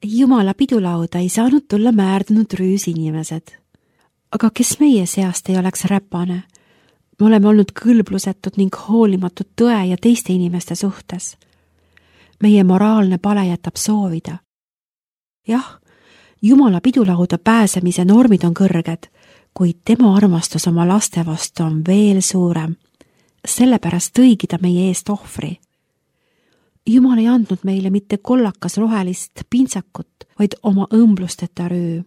Jumala pidulauda ei saanud tulla määrdunud rüüsinimesed. Aga kes meie seast ei oleks räpane? Me oleme olnud kõlblusetud ning hoolimatud tõe ja teiste inimeste suhtes. Meie moraalne pale jätab soovida. Jah, Jumala pidulauda pääsemise normid on kõrged, kuid tema armastus oma laste vastu on veel suurem. Sellepärast tõigi ta meie eest ohvri. Jumal ei andnud meile mitte kollakas rohelist pintsakut, vaid oma õmblusteta rüü.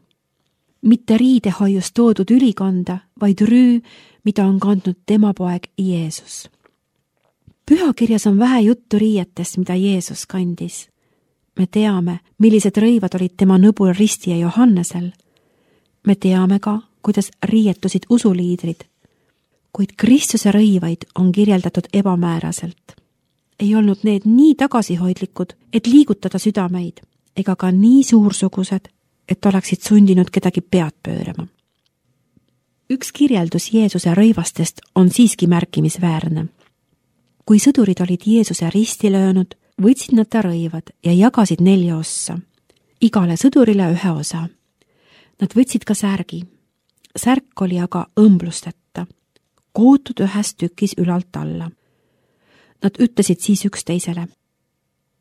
Mitte riidehoiust toodud ülikonda, vaid rüü, mida on kandnud tema poeg Jeesus. Pühakirjas on vähe juttu riietest, mida Jeesus kandis. Me teame, millised rõivad olid tema nõbul Risti ja Johannesel. Me teame ka, kuidas riietusid usuliidrid, kuid Kristuse rõivaid on kirjeldatud ebamääraselt. Ei olnud need nii tagasihoidlikud, et liigutada südameid, ega ka nii suursugused, et oleksid sundinud kedagi pead pöörama. Üks kirjeldus Jeesuse rõivastest on siiski märkimisväärne. Kui sõdurid olid Jeesuse risti löönud, võtsid nad ta rõivad ja jagasid 4 ossa. Igale sõdurile 1 osa. Nad võtsid ka särgi. Särk oli aga õmblusteta, kootud 1 tükis ülalt alla. Nad ütlesid siis üksteisele: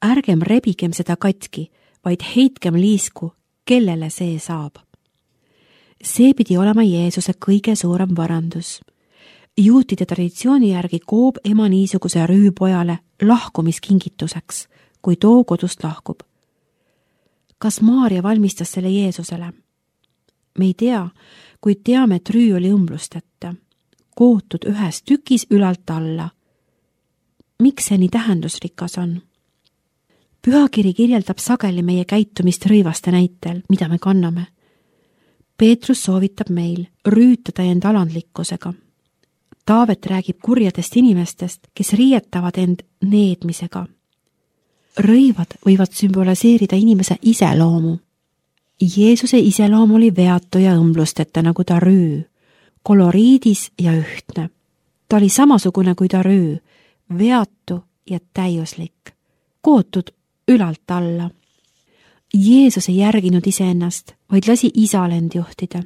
ärgem rebigem seda katki, vaid heitkem liisku, kellele see saab. See pidi olema Jeesuse kõige suurem varandus. Juutide traditsiooni järgi koob ema niisuguse rüüpojale lahkumiskingituseks, kui too kodust lahkub. Kas Maaria valmistas selle Jeesusele? Me ei tea, kuid teame, et rüü oli õmblusteta, kootud 1 tükis ülalt alla. Miks see nii tähendusrikas on? Pühakiri kirjeldab sageli meie käitumist rõivaste näitel, mida me kanname. Peetrus soovitab meil rüütada end alandlikkusega. Taavet räägib kurjadest inimestest, kes riietavad end needmisega. Rõivad võivad sümboliseerida inimese iseloomu. Jeesuse iseloom oli veatu ja õmblusteta nagu ta rüü, koloriidis ja ühtne. Ta oli samasugune kui ta rüü, veatu ja täiuslik, kootud ülalt alla. Jeesus ei järginud iseennast, vaid lasi isal end juhtida.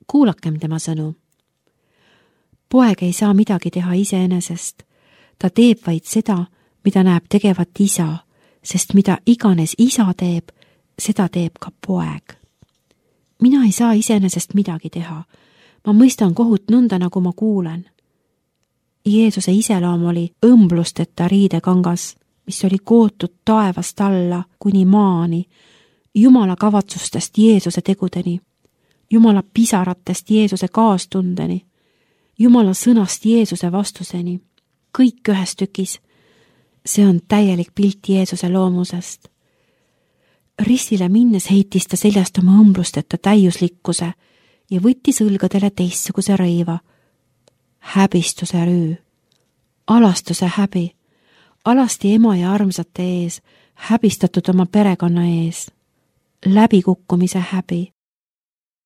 Kuulakem tema sõnu. Poeg ei saa midagi teha iseenesest. Ta teeb vaid seda, mida näeb tegevat isa, sest mida iganes isa teeb, seda teeb ka poeg. Mina ei saa iseenesest midagi teha. Ma mõistan kohut nõnda, nagu ma kuulen. Jeesuse iseloom oli õmblusteta riidekangas, mis oli kootud taevast alla kuni maani, Jumala kavatsustest Jeesuse tegudeni, Jumala pisaratest Jeesuse kaastundeni, Jumala sõnast Jeesuse vastuseni, kõik 1 tükis. See on täielik pilt Jeesuse loomusest. Ristile minnes heitis ta seljast oma õmblusteta täiuslikkuse ja võttis õlgadele teistsuguse rõiva, häbistuse rüü, alastuse häbi, alasti ema ja armsate ees, häbistatud oma perekonna ees, läbikukkumise häbi.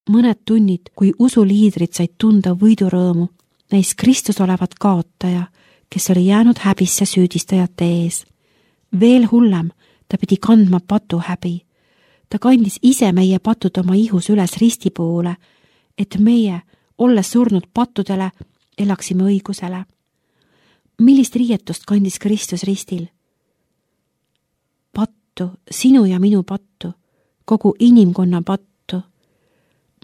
Mõned tunnid, kui usuliidrid said tunda võidurõõmu, näis Kristus olevat kaotaja, kes oli jäänud häbisse süüdistajate ees. Veel hullem, ta pidi kandma patu häbi. Ta kandis ise meie patud oma ihus üles risti poole, et meie, olles surnud pattudele, elaksime õigusele. Millist riietust kandis Kristus ristil? Pattu, sinu ja minu pattu, kogu inimkonna pattu.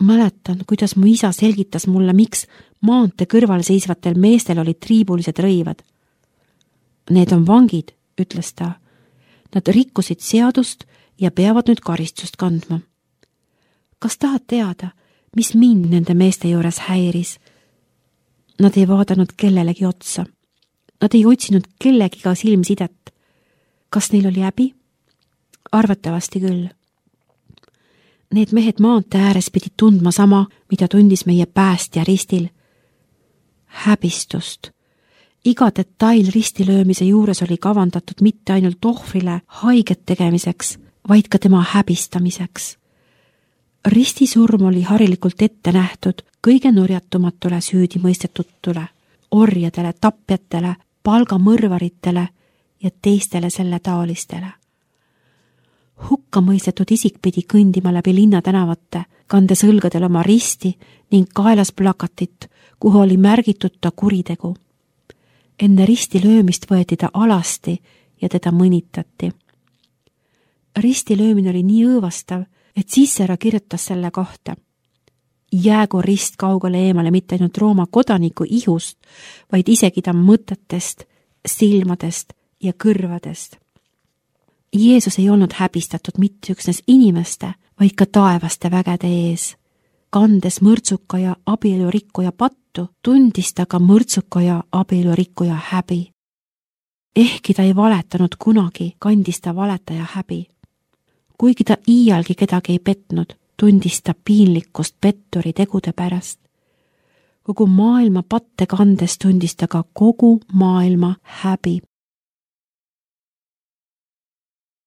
Mäletan, kuidas mu isa selgitas mulle, miks maantee kõrval seisvatel meestel olid triibulised rõivad. Need on vangid, ütles ta. Nad rikkusid seadust ja peavad nüüd karistust kandma. Kas tahad teada, mis mind nende meeste juures häiris? Nad ei vaadanud kellelegi otsa. Nad ei otsinud kellegiga silmsidet. Kas neil oli häbi? Arvatavasti küll. Need mehed maantee ääres pidid tundma sama, mida tundis meie päästja ristil. Häbistust. Iga detail ristilöömise juures oli kavandatud mitte ainult ohvrile haiget tegemiseks, vaid ka tema häbistamiseks. Ristisurm oli harilikult ette nähtud kõige nurjatumatule süüdimõistetutule, orjadele, tapjatele, palgamõrvaritele ja teistele selle taolistele. hukkamõistetud isik pidi kõndima läbi linnatänavate, kandes õlgadel oma risti ning kaelas plakatit, kuhu oli märgitud ta kuritegu. Enne risti löömist võeti ta alasti ja teda mõnitati. Risti löömine oli nii õõvastav, et Cicero kirjutas selle kohta. Jäägu rist kaugele eemale mitte ainult Rooma kodaniku ihust, vaid isegi ta mõtetest, silmadest ja kõrvadest. Jeesus ei olnud häbistatud mitte üksnes inimeste, vaid ka taevaste vägede ees. Kandes mõrtsuka ja abielurikkuja pattu, tundis ta ka mõrtsuka ja abielurikkuja häbi. Ehkki ta ei valetanud kunagi, kandis ta valetaja häbi. Kuigi ta iialgi kedagi ei petnud, tundis ta piinlikkust petturi tegude pärast. Kogu maailma patte kandes tundis ta ka kogu maailma häbi.